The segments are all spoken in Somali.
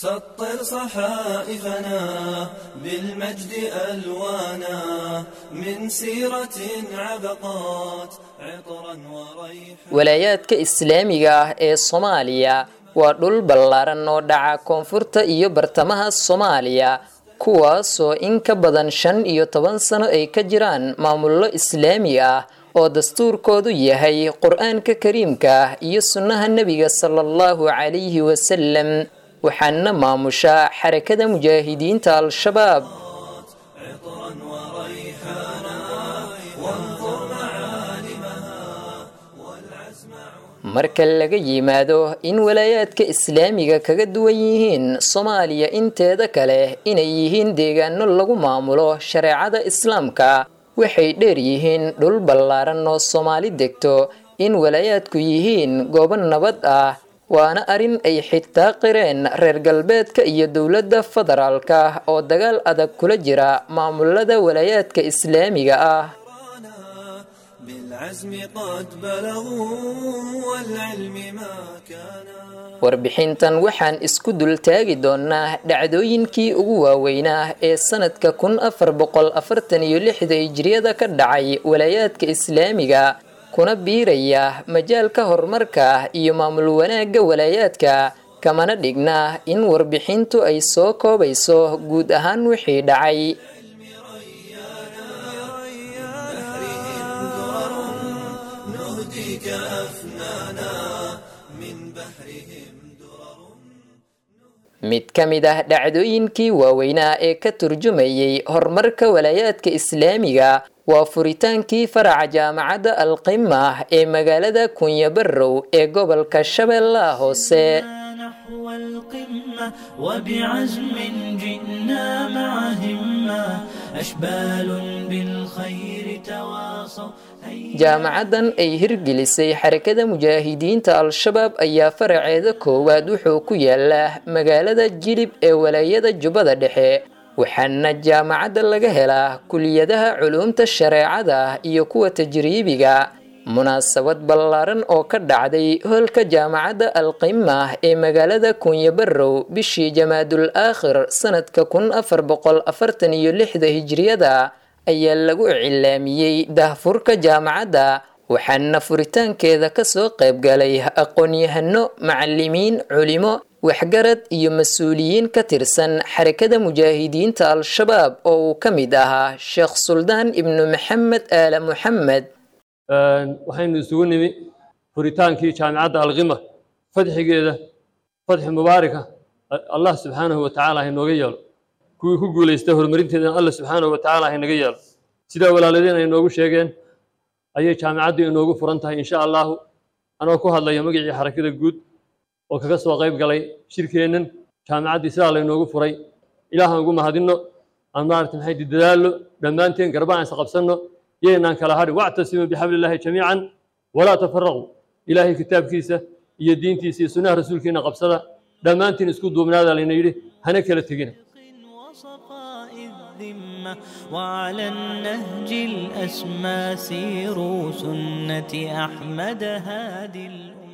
سطر صحائفنا بالمجد ألوانا من سيرة عبقات عطرا وريحا. Walaayaadka islaamiga ah ee Soomaaliya waa dhul ballaaran oo dhaca koonfurta iyo bartamaha Soomaaliya, kuwaasoo in ka badan 15 sano ay ka jiraan maamullo islaami ah oo dastuurkoodu yahay Qur-aanka kariimka ah iyo sunnaha nebiga sala allahu calayhi wasalam, waxaana maamusha Xarakada Mujaahidiinta Al-Shabaab. عطرا وريحانا وانظر معالمها والعزم. Marka laga yimaado in walaayaadka islaamiga kaga duwan yihiin Soomaaliya inteeda kale inay yihiin deegaano lagu maamulo shareecada islaamka, waxay dheer yihiin dhul ballaaran oo Soomaali degto in walaayaadku yihiin goobo nabad ah, waana arrin ay xitaa qireen reer galbeedka iyo dowladda federaalka oo dagaal adag kula jira maamulada walaayaadka islaamiga ah. بالعزم قد بلغوا والعلم ما كان. Warbixintan waxaan isku dultaagi doonaa dhacdooyinkii ugu waaweynaa ee sanadka 1446-da hijriyada ka dhacay walaayaadka islaamiga, kuna biiraya majaalka horumarka iyo maamul wanaagga walaayaadka, kamana dhigna in warbixintu ay soo koobayso guud ahaan wixii dhacay. بحرهم درر نهديك أفنانا من بحرهم درر. Mid ka mid ah dhacdooyinkii waaweynaa ee ka turjumayay horumarka walaayaadka islaamiga waa furitaankii faraca jaamacadda Alqima ee magaalada Kunyabarow ee gobolka Shabeellaha Hoose. نحو القمة وبعزم جئنا مع همة، أشبال بالخير تواصوا هيا. Jaamacaddan ay hirgelisay Xarakada Mujaahidiinta Al-Shabaab ayaa faraceeda koowaad wuxuu ku yaalaa magaalada Jilib ee walaayada Jubbada Dhexe, waxaana jaamacadda laga helaa kuliyadaha culuumta shareecada iyo kuwa tajriibiga. Munaasabad ballaaran oo ka dhacday hoolka jaamacadda Alqima ee magaalada Kunyabarow bishii Jamaadul Aakhir sanadka 1446-da hijriyada ayaa lagu iclaamiyey daahfurka jaamacadda, waxaana furitaankeeda kasoo qaybgalay aqoon-yahano, macalimiin, culimo, waxgarad iyo mas-uuliyiin ka tirsan Xarakada Mujaahidiinta Al-Shabaab oo uu ka mid ahaa Sheekh Suldaan Ibnu Maxamed Aala Muxamed. Waxaynu isugu nimi furitaankii jaamicadda Alqima, fadxigeeda fadxi mubaaraka Allah subxaanahu wa tacaala hainooga yeelo, kuwii ku guulaystay horumarinteedana Allah subxaanahu wa tacaala hainaga yeelo. Sidaa walaaladeen ay noogu sheegeen ayay jaamicaddu inoogu furan tahay insha allahu. Anoo ku hadlaya magacii xarakada guud oo kaga soo qayb galay shirkeennan, jaamicaddii sidaa laynoogu furay ilaahaan ugu mahadinno. Aan maaragta maxay dadaallo dhammaanteen, garba aan isqabsanno, yaynaan kala hadhin. Wactasimuu bixablillaahi jamiican walaa tafaraquu. Ilaahay kitaabkiisa iyo diintiisa iyo sunnaha rasuulkiina qabsada dhammaantiin, isku duubnaada layna yidhi, hana kala tegina. وصفاء الذمة وعلى النهج الأسمى سيروا سنة أحمد هادي الأمة.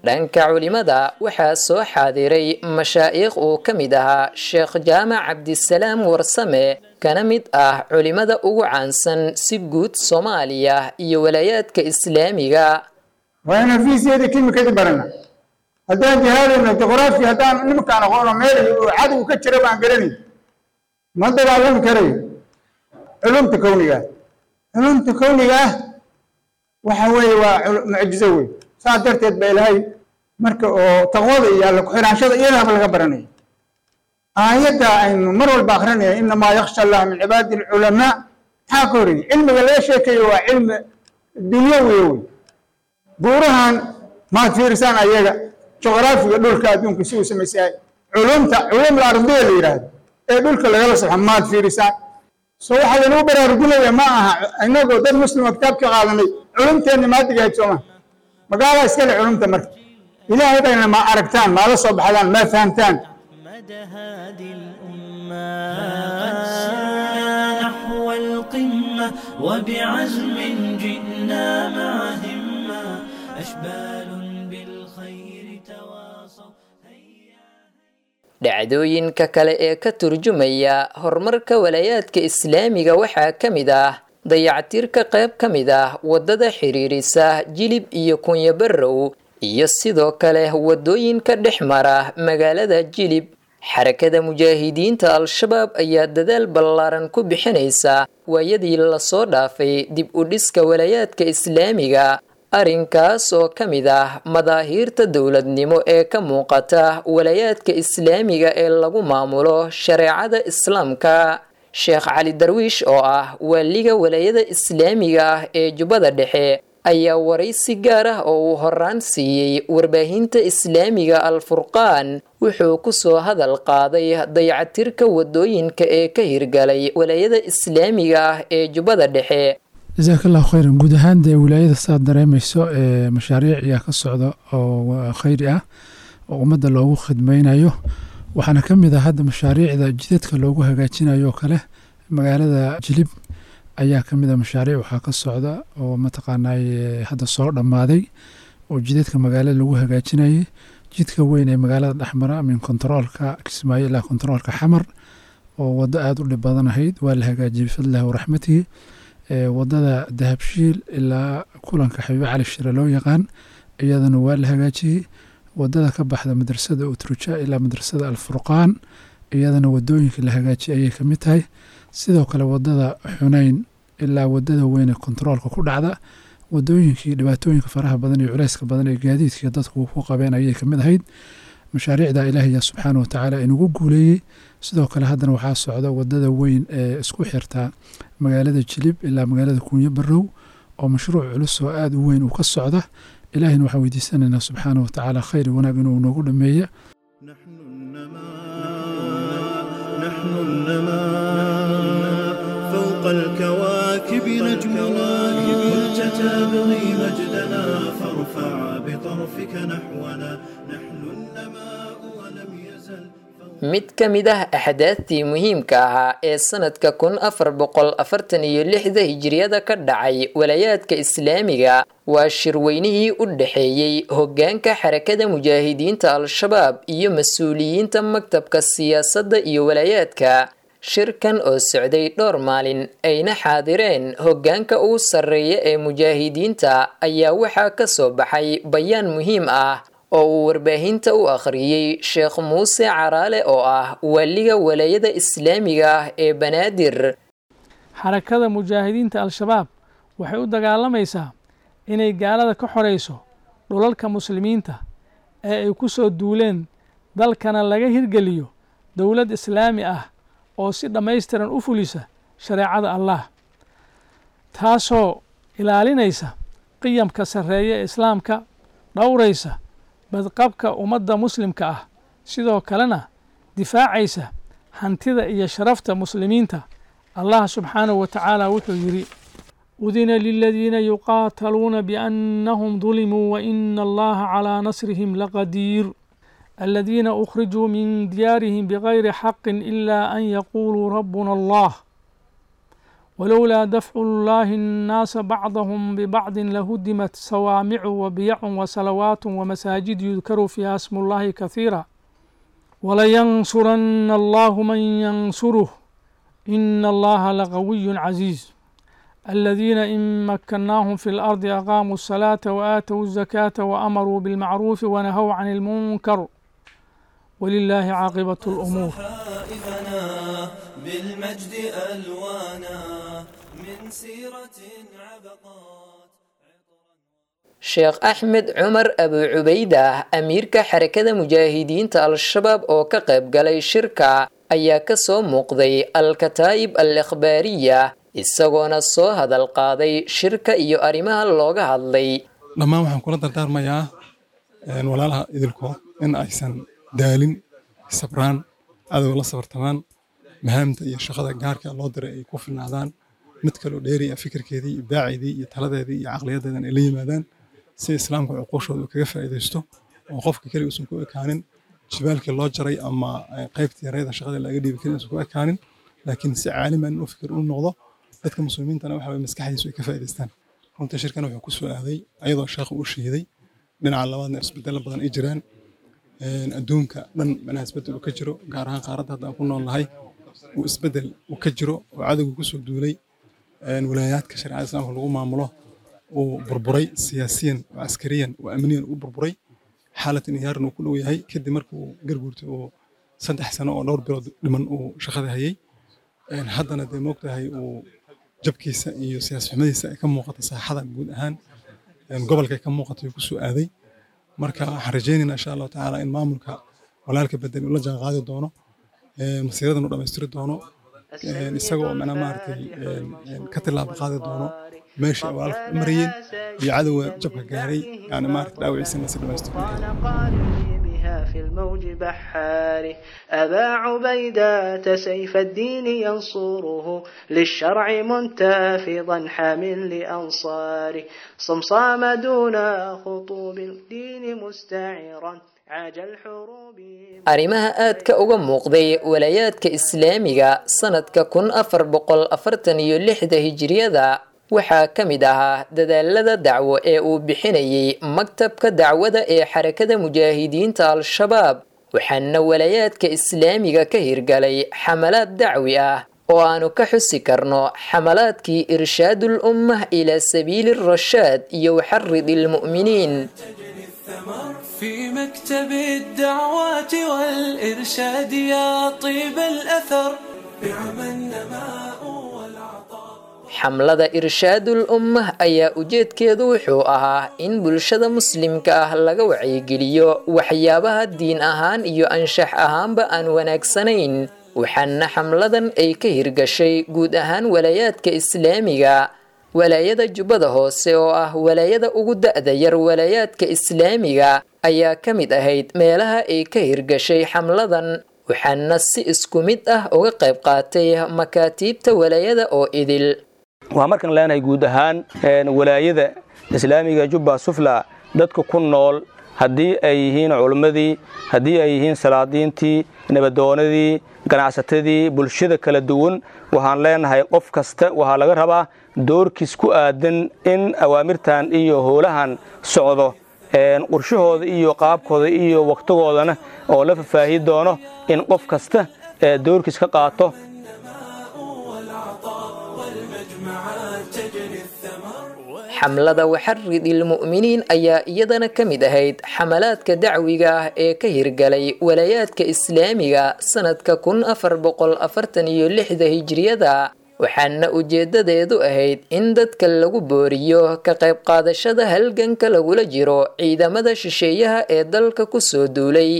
Dhanka culimada waxaa soo xaadiray mashaa'iikh uu ka mid ahaa Sheekh Jaamac Cabdisalaam Warsame, kana mid ah culimada ugu caansan si guud Soomaaliya iyo walaayaadka islaamiga. Waa inaan fiisiyada kimikadii barana haddaan jihaadayno, juqraafi haddaan nimankaan aqoono meel uu cadow ka jira baan garanay, ma dagaalami karayo. Culumta kowniga ah, culumta kowniga ah waxa weeye waa mucjizo wey. Saas darteed ba Ilaahay marka oo taqwada iyo alla ku-xiraanshada iyadaaba laga baranaya aayadda aynu mar walba akrinaya, inamaa yakhsha allah min cibaadi alculamaa. Maxaa ka horreeyey? Cilmiga laga sheekayo waa cilmi dunyawiya wey. Buurahan maad fiirisaan ayaga, juqraafiga dhulka adduunka si uu samaysahay, culumta culum ardiya la yidhaahdo ee dhulka lagala soxo maad fiirisaan. So waxaa laynuu baraarujinaya ma aha inagoo dad muslima kitaabka qaadanay culumteenna maadiga ahayd sooma magaala iskale culumta. Marka Ilaahay bayna ma aragtaan, maala soo baxdaan, ma fahamtaan. أحمد هادي الأمة. قد سرنا نحو القمة وبعزم جئنا مع همة، أشبال بالخير تواصوا هيا. Dhacdooyinka kale ee ka turjumaya horumarka walaayaadka islaamiga waxaa ka mid ah dayactirka qayb ka mid ah waddada xiriirisa Jilib iyo Kunyabarow, iyo sidoo kale waddooyinka dhex mara magaalada Jilib. Xarakada Mujaahidiinta Al-Shabaab ayaa dadaal ballaaran ku bixinaysa waayadii lasoo dhaafay dib u dhiska walaayaadka islaamiga, arrinkaas oo ka mid ah madaahiirta dowladnimo ee ka muuqata walaayaadka islaamiga ee lagu maamulo shareecada islaamka. Sheekh Cali Darwiish oo ah waaliga walaayada islaamiga ah ee Jubbada Dhexe ayaa waraysi gaar ah oo uu horaan siiyey warbaahinta islaamiga Al-Furqaan wuxuu ku soo hadal qaaday dayactirka wadooyinka ee ka hirgalay walaayada islaamiga ah ee Jubbada Dhexe. Jazaak Allahu khayran. Guud ahaan dee wilaayada saad dareemayso ee mashaariic ayaa ka socda oo khayri ah oo ummadda loogu khidmaynayo. Waxaana ka mid ah hadda mashaariicda jidadka loogu hagaajinayo oo kale magaalada Jilib ayaa ka mid ah mashaariic waxaa ka socda oo mataqaanay hadda soo dhammaaday oo jidadka magaalada lagu hagaajinayay. Jidka weyn ee magaalada dhexmara min kontaroolka Kismaayo ilaa kontaroolka Xamar oo waddo aada u dhib badan ahayd waa la hagaajiyey bifadlillahi waraxmatihi. Wadada Dahabshiil ilaa kulanka Xabiibe Cali Shire loo yaqaan iyadana waa la hagaajiyey. Wadada ka baxda madrasada Utruja ilaa madrasada Alfurqaan iyadana wadooyinka la hagaajiyey ayay ka mid tahay. Sidoo kale wadada Xunayn ilaa wadada weyn ee kontaroolka ku dhacda wadooyinkii dhibaatooyinka faraha badan iyo culayska badan ee gaadiidka dadku ku qabeen ayay ka mid ahayd. Mashaariicda Ilaahay subxaana wa tacaala inugu guuleeyey. Sidoo kale haddana waxaa socda wadada weyn ee isku xirta magaalada Jilib ilaa magaalada Kuunyo Barow oo mashruuc culus oo aada u weyn uu ka socda. Ilaahina waxaan weydiisanaynaa subxaana wa tacaala khayr iyo wanaag inuu noogu dhameeya. نحن النماء فوق الكواكب نجمنا، كنت تبغي مجدنا فارفع بطرفك نحونا، نحن النماء ولم يزل. Mid ka mid ah axdaadtii muhiimka ahaa ee sanadka 1446-da hijiriyada ka dhacay walaayaadka islaamiga waa shirweynihii u dhexeeyey hoggaanka Xarakada Mujaahidiinta Al-Shabaab iyo mas-uuliyiinta maktabka siyaasadda iyo walaayaadka. Shirkan oo socday dhowr maalin ayna xaadireen hoggaanka ugu sarreeya ee mujaahidiinta ayaa waxaa ka soo baxay bayaan muhiim ah oo uu warbaahinta u akhriyey Sheekh Muuse Caraale oo ah waaliga walaayada islaamiga ah ee Banaadir. Xarakada Mujaahidiinta Al-Shabaab waxay u dagaalamaysaa inay gaalada ka xoreyso dhulalka muslimiinta ee ay ku soo duuleen, dalkana laga hirgeliyo dowlad islaami ah oo si dhammaystiran u fulisa shareecada Allah, taasoo ilaalinaysa qiyamka sarreeya ee islaamka, dhowraysa badqabka ummadda muslimka ah, sidoo kalena difaacaysa hantida iyo sharafta muslimiinta. Allah subxaanahu wa tacaala wuxuu yidhi: udina liladiina yuqaataluuna biannahum dulimuu waina Allaha calaa nasrihim laqadiir, aladiina ukhrijuu min diyaarihim bigayri xaqin ila an yaquuluu rabbuna Allah, walowlaa dafcu llahi annaasa bacdahum bibacdin lahudimat sawaamicu wabiyacu wasalawaat wamasaajid yudkaru fiiha smu llahi kahiira, walayansurana Allahu man yansuruh, ina Allaha laqawiyun casiiz, aladiina in makannaahum fi lardi aqaamuu الsalaata waaatow الzakaata waamaruu bilmacruufi wanahow can اlmunkar, walilaahi caaqibat اlumuur. صحائفنا بالمجد ألوانا من سيرة عبقات. Sheekh Axmed Cumar Abu Cubaydah, amiirka Xarakada Mujaahidiinta Al-Shabaab oo ka qayb galay shirka, ayaa ka soo muuqday Al-Kataa'ib Al-Ikhbaariya isagoona soo hadal qaaday shirka iyo arrimaha looga hadlay. Dhammaan waxaan kula dardaarmayaa walaalaha idilkood in aysan daalin, sabraan, cadowga la sabartamaan, mahaamta iyo shaqada gaarka loo diray ay ku filnaadaan, mid kaloo dheeri ah fikirkeedii, ibdaaceedii iyo taladeedii iyo caqliyadeedan ay la yimaadaan si islaamka cuquushooda uu kaga faa'iidaysto oo qofka keliya uusan ku ekaanin jibaalkii loo jaray ama qaybtii yareeda shaqada laga dhiibi karin uusan ku ekaanin, laakiin si caaliman u fikir u noqdo, dadka muslimiintana waxa waye maskaxdiisu ay ka faa'iidaystaan. Runtii shirkan wuxuu ku soo aaday ayadoo sheekhu uu shiiday dhinaca labaadna isbedelo badan ay jiraan. Adduunka dhan macnaha isbeddel uu ka jiro, gaar ahaan qaaradda hadda aan ku nool nahay uu isbeddel uu ka jiro oo cadowga kusoo duulay walaayaadka shareecada islaamka lagu maamulo, uu burburay siyaasiyan oo askariyan oo amniyan uu burburay, xaalad inhiyaaran uu ku dhow yahay kadib markii uu garguurtay oo 3 sano oo dhowr bilood dhiman uu shaqada hayay. Haddana dee moogtahay uu jabkiisa iyo siyaas xumadiisa ay ka muuqato saaxada guud ahaan gobolka ay ka muuqato uu kusoo aaday. Marka waxaan rajaynaynaa insha Allahu tacaala in maamulka walaalka bedel uu la jaan qaadi doono, masiiradan uu dhammaystiri doono, isagoo macnaha maaragtay ka tillaabo qaadi doono meeshii ay walaalka u marayeen iyo cadowga jabka gaaray, yani maaragtay dhaawaciisana si dhammaystirmi karo. في الموج بحاره أبا عبيدة سيف الدين ينصره للشرع منتفضا حامل لأنصاره صمصام دون خطوب الدين مستعرا عاج الحروب. Arrimaha aadka uga muuqday walaayaadka islaamiga sanadka 1446 hijriyada waxaa ka mid ahaa dadaalada dacwo ee uu bixinayay maktabka dacwada ee Xarakada Mujaahidiinta Al-Shabaab, waxaana walaayaadka islaamiga ka hirgalay xamalaad dacwi ah oo aanu ka xusi karno xamalaadkii Irshaadul Ummah ilaa sabiili rashaad iyo Waxarid ilmu'miniin. في مكتب الدعوات والإرشاد يا طيب الأثر نعم النماء والعطاء. Xamlada Irshaadul Ummah ayaa ujeedkeedu wuxuu ahaa in bulshada muslimka ah laga wacyigeliyo waxyaabaha diin ahaan iyo anshax ahaanba aan wanaagsanayn, waxaana xamladan ay ka hirgashay guud ahaan walaayaadka islaamiga. Walaayada Jubbada Hoose oo ah walaayada ugu da'da yar walaayaadka islaamiga ayaa ka mid ahayd meelaha ay ka hirgashay xamladan, waxaana si isku mid ah uga qayb qaatay makaatiibta walaayada oo idil. Waxaan markaan leenahay guud ahaan walaayada islaamiga Jubba Sufla dadka ku nool, haddii ay yihiin culimmadii, haddii ay yihiin salaadiintii, nabadoonadii, ganacsatadii, bulshada kala duwan, waxaan leenahay qof kasta waxaa laga rabaa doorkiis ku aadan in awaamirtan iyo howlahan socdo qorshahooda iyo qaabkooda iyo waqtigoodana oo la fafaahi doono in qof kasta doorkiis ka qaato. Xamlada Waxarid ilmu'miniin ayaa iyadana ka mid ahayd xamalaadka dacwiga ah ee ka hirgalay walaayaadka islaamiga sanadka 1446 hijriyada, waxaana ujeedadeedu ahayd in dadka lagu booriyo ka qayb qaadashada halganka lagula jiro ciidamada shisheeyaha ee dalka kusoo duulay.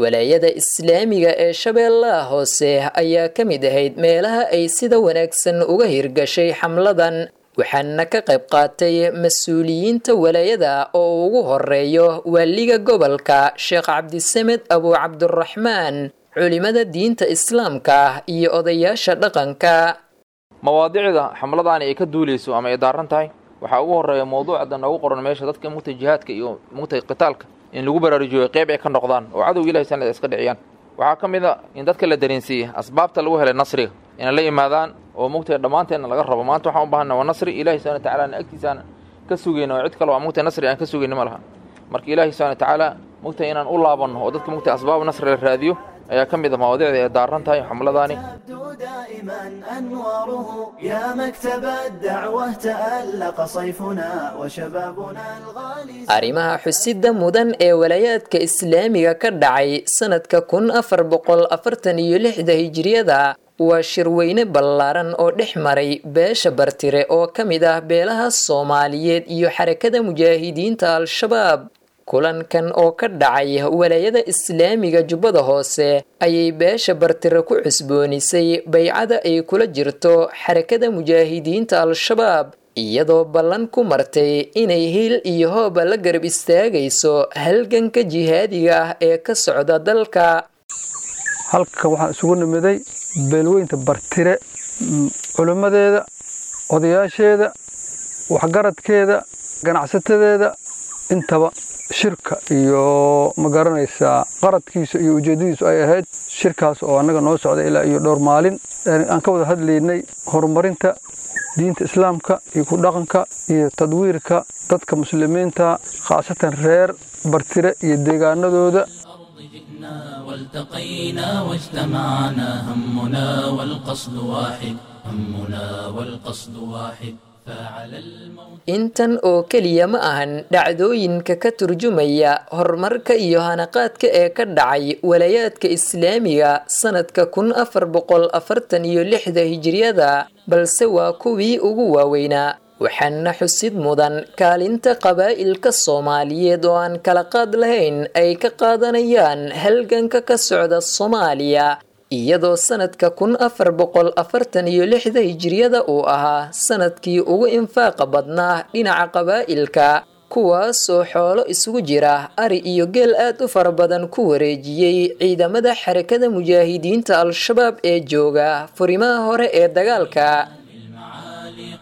Walaayada islaamiga ee Shabeellaha Hoose ayaa ka mid ahayd meelaha ay sida wanaagsan uga hirgashay xamladan, waxaana ka qayb qaatay mas-uuliyiinta walaayada oo ugu horeeyo waaliga gobolka Sheekh Cabdisamed Abu Cabduraxmaan, culimada diinta islaamka iyo odayaasha dhaqanka. Mawaadicda xamladaani ay ka duuleyso ama ay daaran tahay waxaa ugu horeeya mawduucda noogu qoran meesha, dadka mugtay jihaadka iyo mugtay qitaalka in lagu baraarujiyo qeyb ay ka noqdaan oo cadowga Ilahay sanad iska dhiciyaan. Waxaa ka mid a in dadka la dareensiiyey asbaabta lagu helay nasriga inay la yimaadaan oo mugtay dhammaanteenna laga rabo. Maanta waxaan u baahana waa nasri Ilahi subxana watacaala agtiisaan ka sugayna oo cid kale waa mugtay nasri aan ka sugayna ma laha. Marka Ilaahi subxana watacaala mugtay inaan u laabanno oo dadka mugtay asbaab nasri la raadiyo ayaa ka mid ah mawaadiicda ay daaran tahay xamladaani. دائما أنواره يا مكتب الدعوة تألق صيفنا وشبابنا الغالي. Arrimaha xusida mudan ee walaayaadka islaamiga ka dhacay sanadka 1446 hijriyada waa shirweyne ballaaran oo dhex maray beesha Bartire oo ka mid ah beelaha Soomaaliyeed iyo Xarakada Mujaahidiinta Al-Shabaab. Kulankan oo ka dhacay walaayada islaamiga Jubbada Hoose ayay beesha Bartire ku cusboonisay baycada ay kula jirto Xarakada Mujaahidiinta Al-Shabaab, iyadoo ballan ku martay inay hiil iyo hooba la garab istaagayso halganka jihaadiga ah ee ka socda dalka. Halkan waxaan isugu nimiday beelweynta Bartire, culimmadeeda, odayaasheeda, waxgaradkeeda, ganacsatadeeda, intaba shirka iyo ma garanaysaa qaradkiisa iyo ujeeddadiisu ay ahayd shirkaas oo annaga noo socda ilaa iyo dhowr maalin aan ka wada hadlaynay horumarinta diinta islaamka iyo ku dhaqanka iyo tadwiirka dadka muslimiinta, khaasatan reer Bartire iyo deegaanadooda. والتقينا واجتمعنا، همنا والقصد واحد، همنا والقصد واحد، فعلى الموت. Intan oo keliya ma ahan dhacdooyinka ka turjumaya horumarka iyo hanaqaadka ee ka dhacay walayaadka islaamiga sanadka 1446-da hijriyada, balse waa kuwii ugu waaweynaa. Waxaana xusid mudan kaalinta qabaa'ilka Soomaaliyeed oo aan kala qaad lahayn ay ka qaadanayaan halganka ka socda Soomaaliya, iyadoo sanadka 1446-da hijriyada uu ahaa sanadkii ugu infaaqa badnaa dhinaca qabaa'ilka, kuwaasoo xoolo isugu jira ari iyo geel aad u fara badan ku wareejiyey ciidamada Xarakada Mujaahidiinta Al-Shabaab ee jooga furimaha hore ee dagaalka.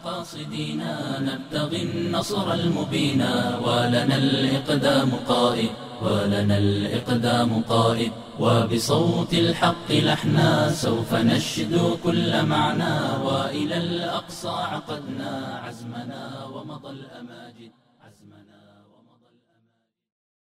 قاصدينا نبتغي النصر المبينا، ولنا الإقدام قائد، ولنا الإقدام قائد، وبصوت الحق لحنا سوف نشدو كل معنى، وإلى الأقصى عقدنا عزمنا ومضى الأماجد، عزمنا.